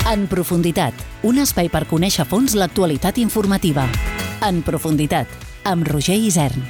En profunditat, un espai per conèixer a fons l'actualitat informativa. En profunditat, amb Roger Isern.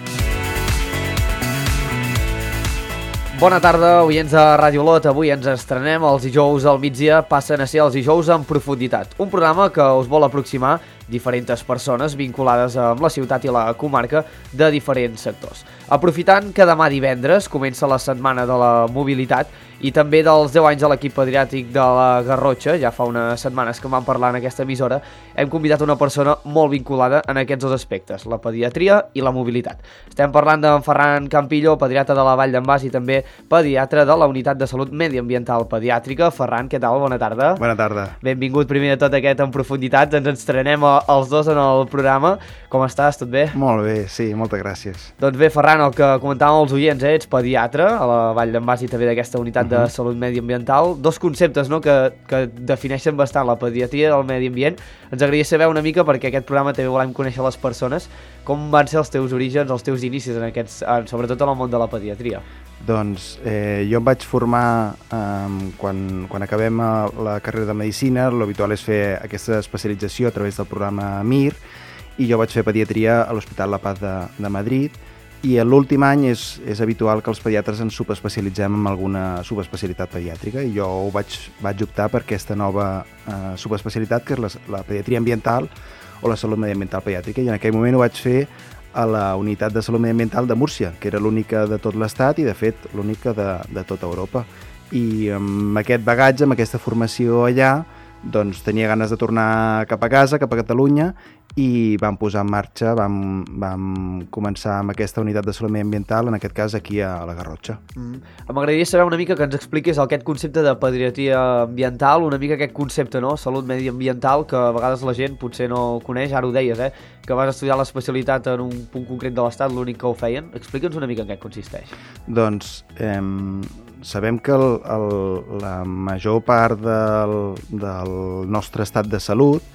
Bona tarda, oients de Ràdio Olot. Avui ens estrenem. Els dijous al migdia passen a ser els dijous en profunditat. Un programa que us vol aproximar diferents persones vinculades amb la ciutat i la comarca de diferents sectors. Aprofitant que demà divendres comença la setmana de la mobilitat i també dels 10 anys de l'equip pediàtric de la Garrotxa, ja fa unes setmanes que en vam parlar en aquesta emissora, hem convidat una persona molt vinculada en aquests dos aspectes, la pediatria i la mobilitat. Estem parlant d'en Ferran Campillo, pediatre de la Vall d'en Bas i també pediatre de la Unitat de Salut Mediambiental Pediàtrica. Ferran, què tal? Bona tarda. Bona tarda. Benvingut primer de tot aquest En Profunditat. Ens estrenem els dos en el programa. Com estàs? Tot bé? Molt bé, sí, moltes gràcies. Doncs bé, Ferran, el que comentàvem als oients, ets pediatre a la Vall d'en Bas i també d'aquesta Unitat de Salut Mediambiental. Dos conceptes, no?, que defineixen bastant la pediatria del medi ambient. Ens agradaria saber una mica, perquè aquest programa també volem conèixer les persones, com van ser els teus orígens, els teus inicis sobretot en el món de la pediatria. Doncs jo em vaig formar quan acabem la carrera de Medicina. L'habitual és fer aquesta especialització a través del programa MIR, i jo vaig fer pediatria a l'Hospital La Paz de Madrid, i l'últim any és habitual que els pediatres ens subespecialitzem en alguna subespecialitat pediàtrica, i jo vaig optar per aquesta nova subespecialitat, que és la pediatria ambiental o la salut mediambiental pediàtrica, i en aquell moment ho vaig fer a la Unitat de Salut Mediambiental de Múrcia, que era l'única de tot l'estat i, de fet, l'única de tota Europa. I amb aquest bagatge, amb aquesta formació allà, doncs tenia ganes de tornar cap a casa, cap a Catalunya, i vam posar en marxa, vam començar amb aquesta unitat de salut mediambiental, en aquest cas aquí a la Garrotxa. M'agradaria saber una mica que ens expliquis aquest concepte de pediatria ambiental, una mica aquest concepte, no?, salut mediambiental, que a vegades la gent potser no coneix. Ara ho deies, que vas estudiar l'especialitat en un punt concret de l'estat, l'únic que ho feien. Explica'ns una mica en què consisteix. Doncs sabem que la major part del nostre estat de salut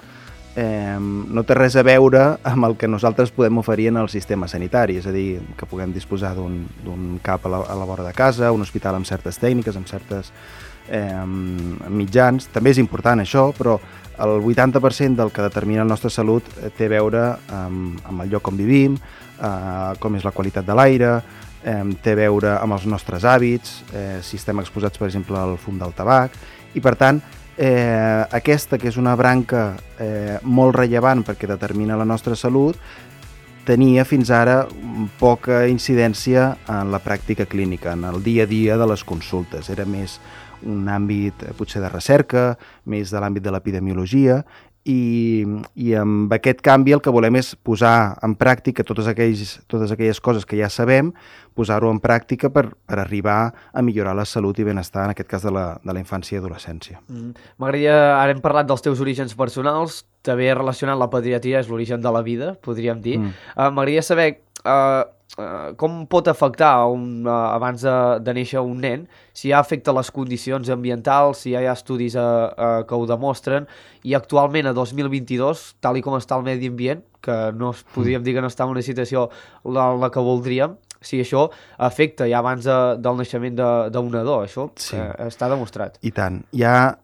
no té res a veure amb el que nosaltres podem oferir en el sistema sanitari, és a dir, que puguem disposar d'un CAP a la vora de casa, un hospital amb certes tècniques, amb certes mitjans. També és important això, però el 80% del que determina la nostra salut té a veure amb el lloc on vivim, com és la qualitat de l'aire, té a veure amb els nostres hàbits, si estem exposats, per exemple, al fum del tabac, i per tant, aquesta, que és una branca molt rellevant perquè determina la nostra salut, tenia fins ara poca incidència en la pràctica clínica, en el dia a dia de les consultes. Era més un àmbit potser de recerca, més de l'àmbit de l'epidemiologia, i amb aquest canvi el que volem és posar en pràctica totes aquelles coses que ja sabem, posar-ho en pràctica per arribar a millorar la salut i benestar, en aquest cas de la infància i adolescència. M'agradaria, ara hem parlat dels teus orígens personals, també relacionat la pediatria és l'origen de la vida, podríem dir. M'agradaria saber com pot afectar abans de néixer un nen, si ja afecta les condicions ambientals, si ja hi ha estudis que ho demostren, i actualment a 2022, tal i com està el medi ambient, que no podríem dir que no està en una situació en la que voldríem, si això afecta ja abans del naixement d'un nadó, això sí, està demostrat. I tant. Hi ha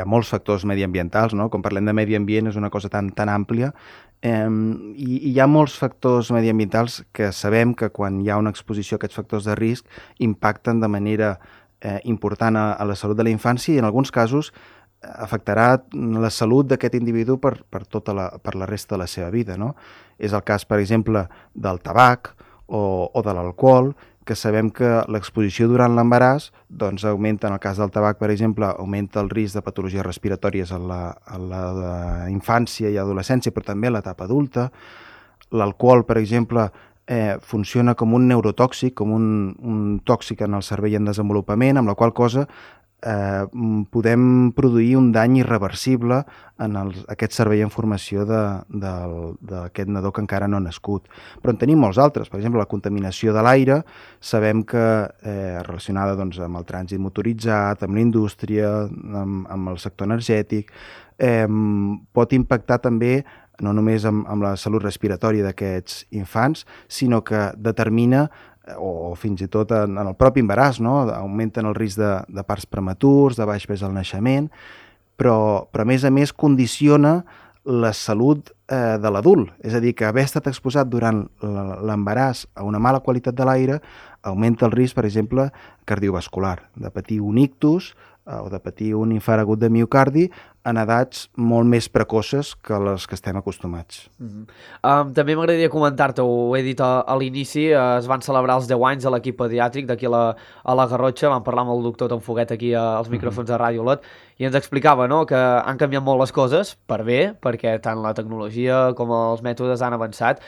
molts factors mediambientals, no? Com parlem de medi ambient és una cosa tan àmplia, i hi ha molts factors mediambientals que sabem que quan hi ha una exposició a aquests factors de risc impacten de manera important a la salut de la infància, i en alguns casos afectarà la salut d'aquest individu per la resta de la seva vida, no? És el cas, per exemple, del tabac o de l'alcohol, que sabem que l'exposició durant l'embaràs doncs augmenta, en el cas del tabac, per exemple, augmenta el risc de patologies respiratòries a la infància i adolescència, però també a l'etapa adulta. L'alcohol, per exemple, funciona com un neurotòxic, com un tòxic en el cervell en desenvolupament, amb la qual cosa podem produir un dany irreversible en aquest cervell en formació d'aquest nadó que encara no ha nascut. Però en tenim molts altres. Per exemple, la contaminació de l'aire, sabem que relacionada amb el trànsit motoritzat, amb la indústria, amb el sector energètic, pot impactar també no només amb la salut respiratòria d'aquests infants, sinó que determina o fins i tot en el propi embaràs, no? Augmenten el risc de parts prematurs, de baix pes al naixement, però a més condiciona la salut de l'adult. És a dir, que haver estat exposat durant l'embaràs a una mala qualitat de l'aire augmenta el risc, per exemple, cardiovascular, de patir un ictus o de patir un infart agut de miocardi en edats molt més precoces que les que estem acostumats. També m'agradaria comentar-te, ho he dit a l'inici, es van celebrar els 10 anys de l'equip pediàtric d'aquí a la Garrotxa, vam parlar amb el doctor Tom Foguet aquí als micròfons de Ràdio Olot, i ens explicava, no?, que han canviat molt les coses per bé, perquè tant la tecnologia com els mètodes han avançat.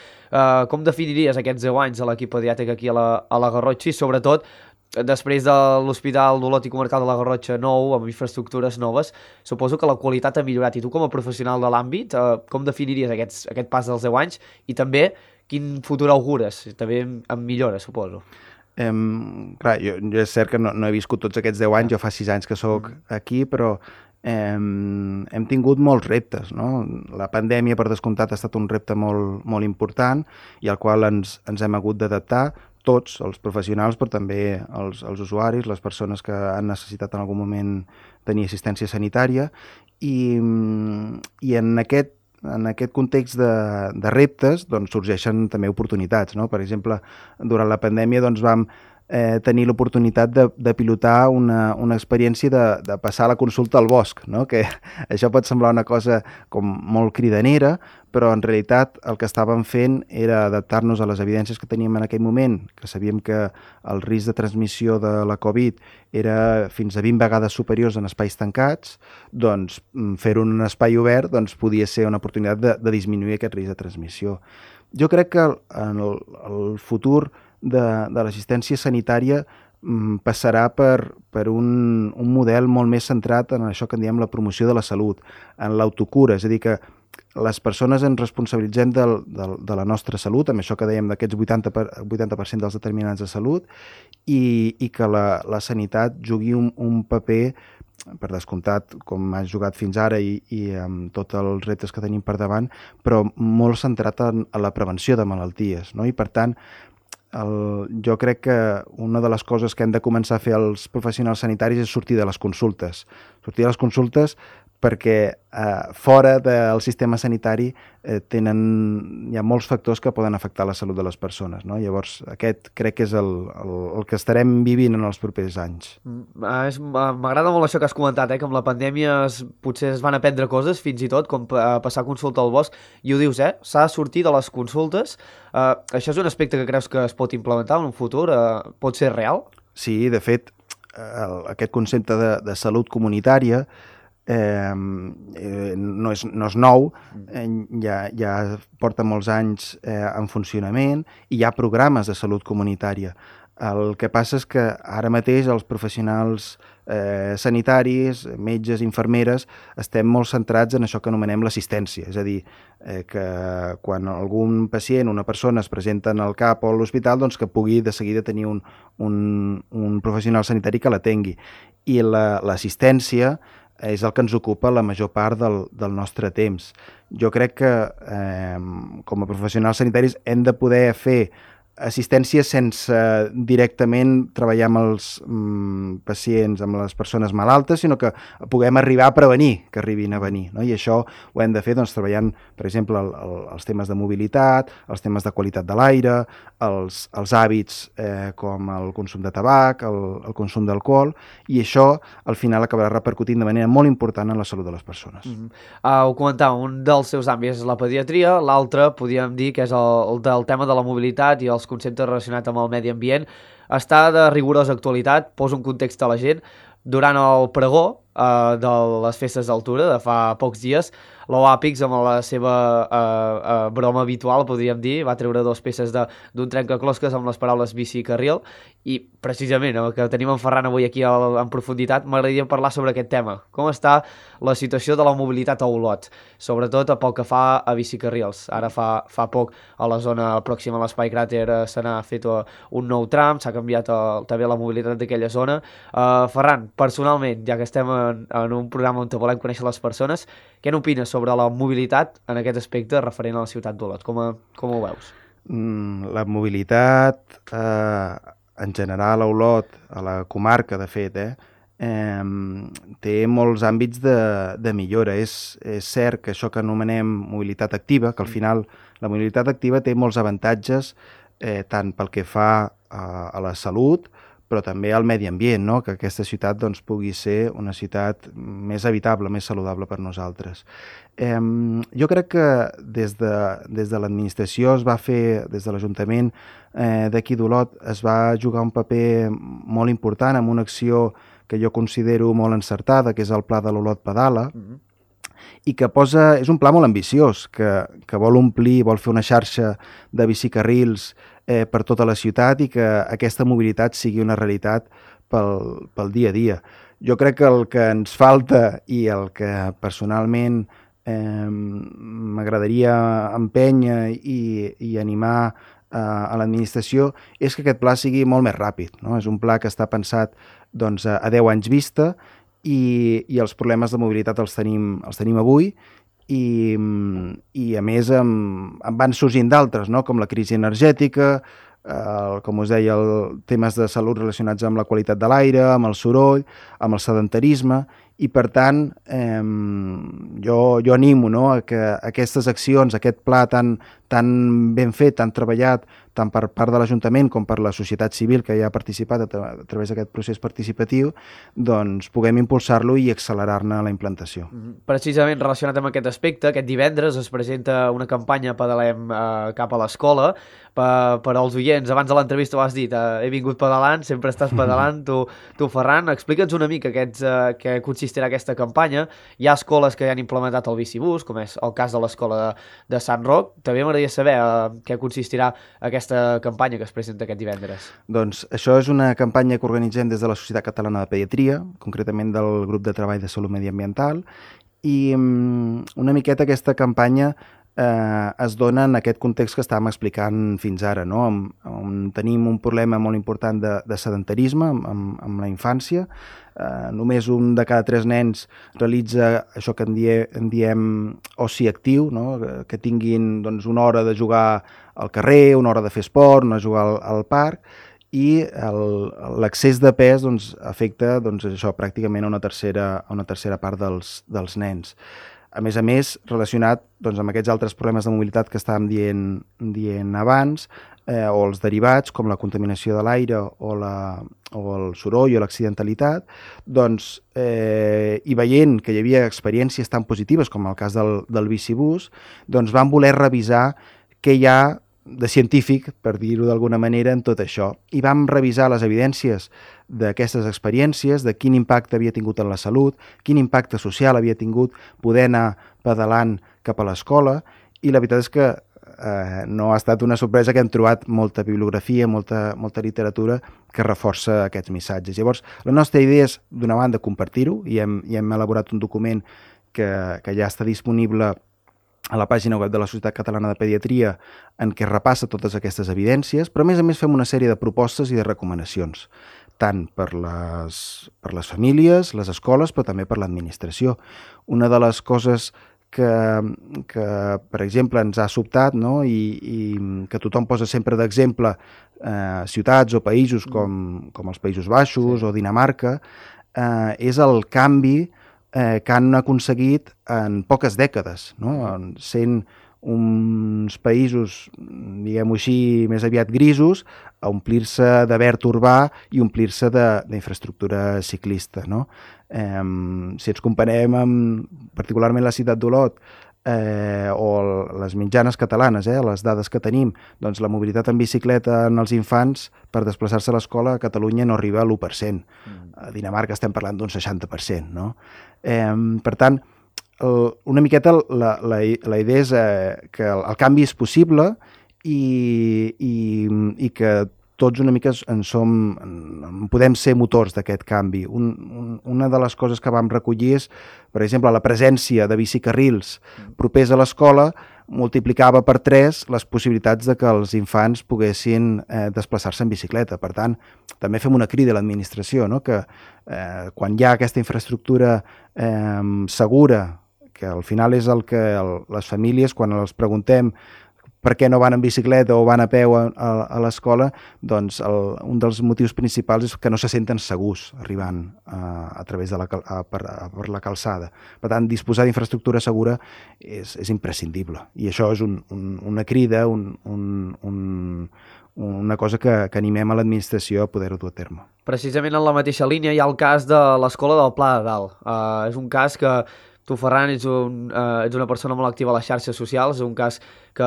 Com definiries aquests 10 anys de l'equip pediàtric aquí a la Garrotxa i sobretot després de l'Hospital d'Olot i Comarcal de la Garrotxa nou, amb infraestructures noves, suposo que la qualitat ha millorat. I tu, com a professional de l'àmbit, com definiries aquest pas dels 10 anys? I també, quin futur augures? També amb millora, suposo. Clar, jo és cert que no he viscut tots aquests 10 anys, jo fa 6 anys que sóc aquí, però hem tingut molts reptes, no? La pandèmia, per descomptat, ha estat un repte molt, molt important i al qual ens hem hagut d'adaptar, tots, els professionals, però també els usuaris, les persones que han necessitat en algun moment tenir assistència sanitària, i en aquest context de reptes doncs, sorgeixen també oportunitats, no? Per exemple, durant la pandèmia doncs, vam tenir l'oportunitat de pilotar una experiència de passar la consulta al bosc, no? Que això pot semblar una cosa com molt cridanera, però en realitat el que estàvem fent era adaptar-nos a les evidències que teníem en aquell moment, que sabíem que el risc de transmissió de la Covid era fins a 20 vegades superiors en espais tancats, doncs fer-ho en un espai obert doncs, podia ser una oportunitat de disminuir aquest risc de transmissió. Jo crec que en el futur de l'assistència sanitària passarà per un model molt més centrat en això que en diem la promoció de la salut, en l'autocura, és a dir, que les persones ens responsabilitzem de la nostra salut, amb això que dèiem d'aquests 80% dels determinants de salut, i que la sanitat jugui un paper, per descomptat, com ha jugat fins ara i amb tots els reptes que tenim per davant, però molt centrat en la prevenció de malalties, no? I per tant, jo crec que una de les coses que hem de començar a fer els professionals sanitaris és sortir de les consultes. Sortir de les consultes perquè fora del sistema sanitari hi ha molts factors que poden afectar la salut de les persones, no? Llavors, aquest crec que és el que estarem vivint en els propers anys. M'agrada molt això que has comentat, que amb la pandèmia potser es van aprendre coses, fins i tot, com passar consulta al bosc, i ho dius, s'ha de sortir de les consultes. Això és un aspecte que creus que es pot implementar en un futur? Pot ser real? Sí, de fet, aquest concepte de salut comunitària no és nou, ja porta molts anys en funcionament i hi ha programes de salut comunitària. El que passa és que ara mateix els professionals sanitaris, metges, infermeres, estem molt centrats en això que anomenem l'assistència, és a dir, que quan algun pacient, una persona es presenta en el CAP o a l'hospital, doncs que pugui de seguida tenir un professional sanitari que l'atengui. I l'assistència és el que ens ocupa la major part del nostre temps. Jo crec que com a professionals sanitaris hem de poder fer assistència sense directament treballar amb els pacients, amb les persones malaltes, sinó que puguem arribar a prevenir que arribin a venir, no? I això ho hem de fer doncs, treballant, per exemple, els temes de mobilitat, els temes de qualitat de l'aire, els hàbits com el consum de tabac, el consum d'alcohol, i això al final acabarà repercutint de manera molt important en la salut de les persones. Ho comentava, un dels seus àmbits és la pediatria, l'altre podríem dir que és el del tema de la mobilitat i els conceptes relacionats amb el medi ambient. Està de rigorosa actualitat, posa un context a la gent. Durant el pregó de les festes d'altura, de fa pocs dies, l'OAPIX, amb la seva broma habitual, podríem dir, va treure 2 peces d'un trencaclosques amb les paraules bici i carril, i precisament el que tenim en Ferran avui aquí en profunditat, m'agradaria parlar sobre aquest tema. Com està la situació de la mobilitat a Olot, sobretot pel que fa a bicicarrils. Ara fa poc a la zona pròxima a l'Espai Cràter se n'ha fet un nou tram, s'ha canviat també la mobilitat d'aquella zona. Ferran, personalment, ja que estem en un programa on volem conèixer les persones, què n'opines sobre la mobilitat en aquest aspecte referent a la ciutat d'Olot? Com ho veus? la mobilitat en general a Olot, a la comarca de fet, té molts àmbits de millora. És cert que això que anomenem mobilitat activa, que al final la mobilitat activa té molts avantatges tant pel que fa a la salut, però també al medi ambient, no? Que aquesta ciutat doncs, pugui ser una ciutat més habitable, més saludable per nosaltres. Jo crec que des de l'administració es va fer, des de l'Ajuntament d'aquí d'Olot, es va jugar un paper molt important amb una acció que jo considero molt encertada, que és el Pla de l'Olot Pedala, i que és un pla molt ambiciós, que vol omplir, vol fer una xarxa de bicicarrils per tota la ciutat i que aquesta mobilitat sigui una realitat pel dia a dia. Jo crec que el que ens falta i el que personalment m'agradaria empènyer i animar a l'administració és que aquest pla sigui molt més ràpid, no? És un pla que està pensat doncs, a 10 anys vista i els problemes de mobilitat els tenim avui i a més en van sorgint d'altres, no? Com la crisi energètica, com us deia, temes de salut relacionats amb la qualitat de l'aire, amb el soroll, amb el sedentarisme, i per tant jo animo, no, a que aquestes accions, aquest pla tan ben fet, tan treballat, tant per part de l'Ajuntament com per la societat civil que ja ha participat a través d'aquest procés participatiu, doncs puguem impulsar-lo i accelerar-ne la implantació. Precisament relacionat amb aquest aspecte, aquest divendres es presenta una campanya Pedalem cap a l'escola. Per als oients, abans de l'entrevista ho has dit, he vingut pedalant, sempre estàs pedalant, tu Ferran, explica'ns una mica què consistirà aquesta campanya. Hi ha escoles que ja han implementat el bicibús, com és el cas de l'escola de Sant Roc. També m'agradaria saber què consistirà aquesta campanya que es presenta aquest divendres. Doncs això és una campanya que organitzem des de la Societat Catalana de Pediatria, concretament del grup de treball de salut mediambiental, i una miqueta aquesta campanya es dona en aquest context que estàvem explicant fins ara, no? On tenim un problema molt important de sedentarisme amb la infància. Només un de cada 3 nens realitza això que en diem oci actiu, no? Que tinguin doncs, una hora de jugar al carrer, una hora de fer esport, una jugar al parc, i l'excés de pes doncs, afecta doncs, això, pràcticament a una tercera part dels nens. A més, relacionat doncs, amb aquests altres problemes de mobilitat que estàvem dient abans, o els derivats, com la contaminació de l'aire o el soroll o l'accidentalitat, doncs, i veient que hi havia experiències tan positives com el cas del bicibús, doncs vam voler revisar què hi ha de científic, per dir-ho d'alguna manera, en tot això. I vam revisar les evidències d'aquestes experiències, de quin impacte havia tingut en la salut, quin impacte social havia tingut poder anar pedalant cap a l'escola, i la veritat és que no ha estat una sorpresa que hem trobat molta bibliografia, molta literatura que reforça aquests missatges. Llavors, la nostra idea és, d'una banda, compartir-ho, i hem elaborat un document que ja està disponible a la pàgina web de la Societat Catalana de Pediatria, en què repassa totes aquestes evidències, però a més fem una sèrie de propostes i de recomanacions, tant per les famílies, les escoles, però també per l'administració. Una de les coses que per exemple, ens ha sobtat, no? I que tothom posa sempre d'exemple ciutats o països com els Països Baixos o Dinamarca, és el canvi que han aconseguit en poques dècades, no? Sent uns països, diguem-ho així, més aviat grisos, a omplir-se de verd urbà i omplir-se d'infraestructura ciclista, no? Si ens comparem amb particularment la ciutat d'Olot o les mitjanes catalanes, les dades que tenim, doncs la mobilitat en bicicleta en els infants per desplaçar-se a l'escola a Catalunya no arriba a l'1%. A Dinamarca estem parlant d'un 60%, no? Per tant, una miqueta la idea és que el canvi és possible i que tots una mica podem ser motors d'aquest canvi. Una de les coses que vam recollir és, per exemple, la presència de bicicarrils propers a l'escola multiplicava per 3 les possibilitats de que els infants poguessin desplaçar-se en bicicleta. Per tant, també fem una crida a l'administració, no? Que quan hi ha aquesta infraestructura segura, que al final és el que les famílies, quan els preguntem per què no van en bicicleta o van a peu a l'escola, doncs un dels motius principals és que no se senten segurs arribant a través de per la calçada. Per tant, disposar d'infraestructura segura és imprescindible. I això és una crida, una cosa que animem a l'administració a poder-ho dur a terme. Precisament en la mateixa línia hi ha el cas de l'Escola del Pla de Dalt. És un cas que tu, Ferran, ets una persona molt activa a les xarxes socials, és un cas que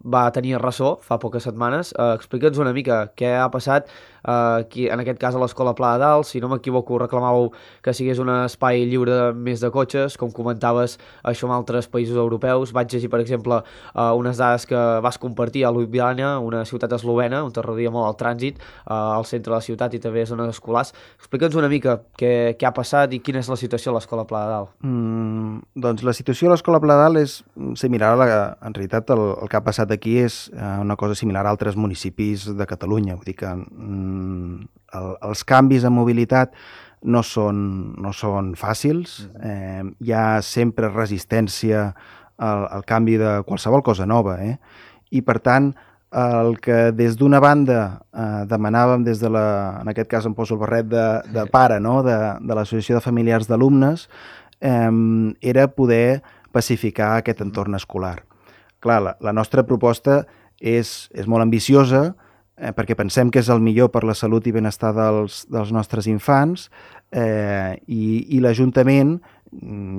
va tenir ressò fa poques setmanes. Explica'ns una mica què ha passat, en aquest cas a l'Escola Pla de Dalt. Si no m'equivoco, reclamàveu que sigués un espai lliure més de cotxes, com comentaves això en altres països europeus. Vaig llegir, per exemple, unes dades que vas compartir a Ljubljana, una ciutat eslovena, on t'arrodia molt el trànsit, al centre de la ciutat i també zones escolars. Explica'ns una mica què ha passat i quina és la situació a l'Escola Pla de Dalt. Doncs la situació a l'Escola Pla de Dalt és similar en realitat el que ha passat aquí és una cosa similar a altres municipis de Catalunya. Vull dir que els canvis en mobilitat no són fàcils, hi ha sempre resistència al canvi de qualsevol cosa nova, i per tant el que des d'una banda demanàvem des de en aquest cas em poso el barret de pare, no? de l'Associació de Familiars d'Alumnes, era poder pacificar aquest entorn escolar. Clar, la nostra proposta és molt ambiciosa, perquè pensem que és el millor per la salut i benestar dels nostres infants, i l'Ajuntament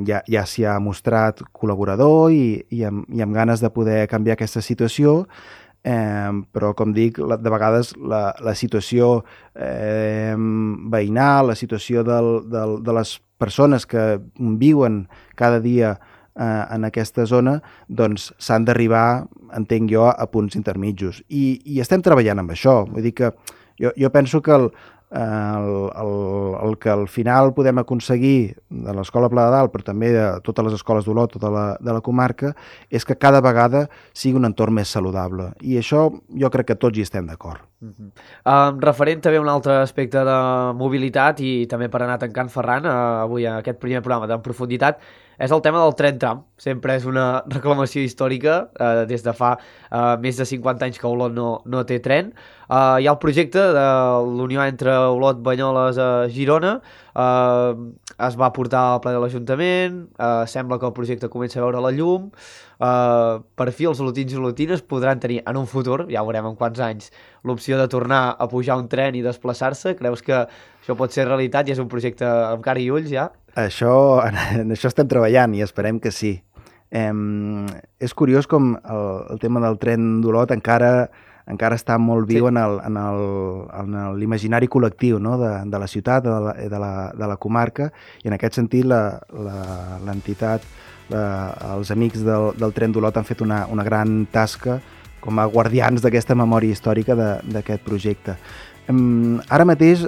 ja s'hi ha mostrat col·laborador i amb ganes de poder canviar aquesta situació, però com dic, de vegades la situació veïnal, la situació de les persones que viuen cada dia en aquesta zona, doncs s'han d'arribar, entenc jo, a punts intermitjos. I estem treballant amb això. Vull dir que jo penso que el que al final podem aconseguir de l'Escola Pla de Dalt, però també de totes les escoles d'Olot, de la comarca, és que cada vegada sigui un entorn més saludable. I això jo crec que tots hi estem d'acord. Referent també a un altre aspecte de mobilitat i també per anar tancant, Ferran, avui a aquest primer programa d'En Profunditat, és el tema del tren tram. Sempre és una reclamació històrica, des de fa més de 50 anys que Olot no té tren. Hi ha el projecte de l'unió entre Olot, Banyoles a Girona, es va portar al ple de l'Ajuntament, sembla que el projecte comença a veure la llum, per fi els olotins i olotines podran tenir en un futur, ja ho veurem en quants anys, l'opció de tornar a pujar un tren i desplaçar-se. Creus que això pot ser realitat i és un projecte amb cara i ulls ja? En això estem treballant i esperem que sí. És curiós com el tema del tren d'Olot encara està molt viu en l'imaginari col·lectiu, no? de la ciutat, de la comarca, i en aquest sentit l'entitat, els amics del tren d'Olot han fet una gran tasca com a guardians d'aquesta memòria històrica d'aquest projecte. Ara mateix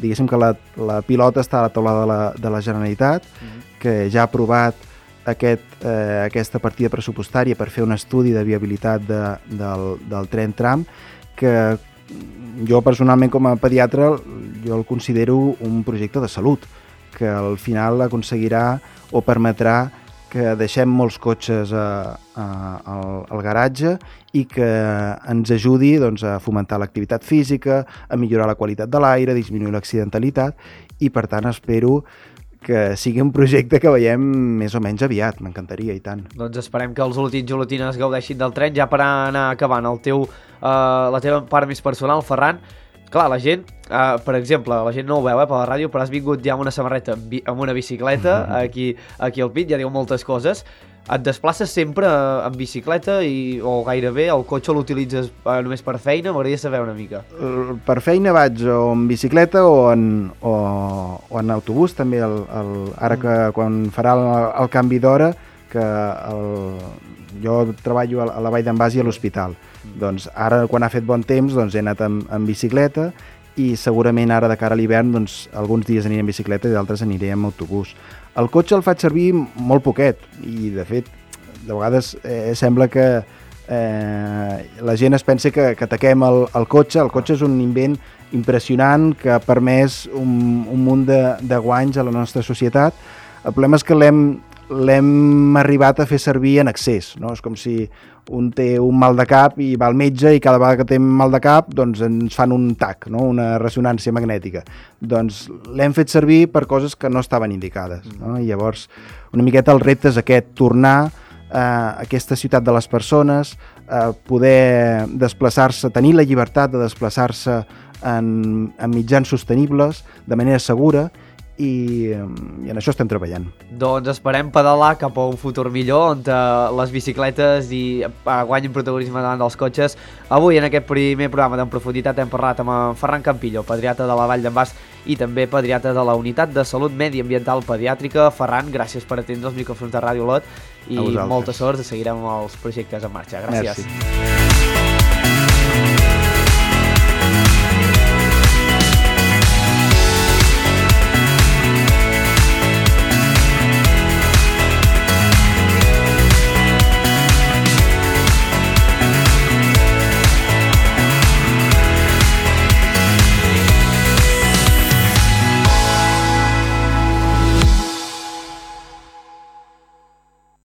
diguéssim que la pilota està a la taula de la Generalitat, que ja ha aprovat aquesta partida pressupostària per fer un estudi de viabilitat del tren tram, que jo personalment com a pediatre jo el considero un projecte de salut, que al final aconseguirà o permetrà que deixem molts cotxes al garatge i que ens ajudi a fomentar l'activitat física, a millorar la qualitat de l'aire, a disminuir l'accidentalitat, i per tant espero que sigui un projecte que veiem més o menys aviat, m'encantaria, i tant. Doncs esperem que els olotins i olotines gaudeixin del tren. Ja per anar acabant la teva part més personal, Ferran, clar, la gent, per exemple, la gent no ho veu per la ràdio, però has vingut ja amb una samarreta, amb una bicicleta, aquí al pit, ja diu moltes coses. Et desplaces sempre en bicicleta o gairebé el cotxe l'utilitzes només per feina? M'agradaria saber una mica. Per feina vaig o en bicicleta o en autobús, també, ara que quan farà el canvi d'hora, que jo treballo a la Vall d'en Bas i a l'hospital. Doncs ara, quan ha fet bon temps, he anat en bicicleta, i segurament ara de cara a l'hivern alguns dies aniré en bicicleta i d'altres aniré en autobús. El cotxe el faig servir molt poquet i de fet de vegades sembla que la gent es pensa que ataquem el cotxe. El cotxe és un invent impressionant que ha permès un munt de guanys a la nostra societat. El problema és que l'hem l'hem arribat a fer servir en excés, no? És com si un té un mal de cap i va al metge i cada vegada que té mal de cap doncs ens fan un TAC, no? Una ressonància magnètica. Doncs l'hem fet servir per coses que no estaven indicades, no? I llavors una miqueta el repte és aquest, tornar a aquesta ciutat de les persones, poder desplaçar-se, tenir la llibertat de desplaçar-se en mitjans sostenibles, de manera segura, i en això estem treballant. Doncs esperem pedalar cap a un futur millor on les bicicletes guanyin protagonisme davant dels cotxes. Avui en aquest primer programa d'En Profunditat hem parlat amb en Ferran Campillo, pediatra de la Vall d'en Bas i també pediatra de la Unitat de Salut Mediambiental Pediàtrica. Ferran, gràcies per atendre els micròfons de Ràdio Olot i molta sort, seguirem els projectes en marxa. Gràcies. Merci.